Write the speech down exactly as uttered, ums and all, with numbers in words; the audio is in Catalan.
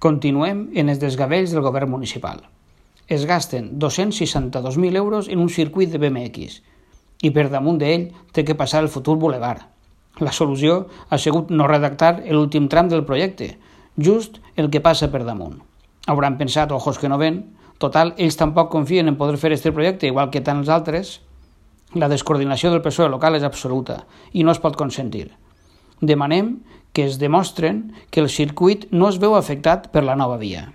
Continuem en els desgavells del govern municipal. Es gasten dos-cents seixanta-dos mil euros en un circuit de B M X i per damunt d'ell té que passar el futur bulevard. La solució ha sigut no redactar l'últim tram del projecte, just el que passa per damunt. Hauran pensat, ojos que no ven, total, ells tampoc confien en poder fer aquest projecte, igual que tants altres. La descoordinació del P S O E local és absoluta i no es pot consentir. Demanem que es demostren que el circuit no es veu afectat per la nova via.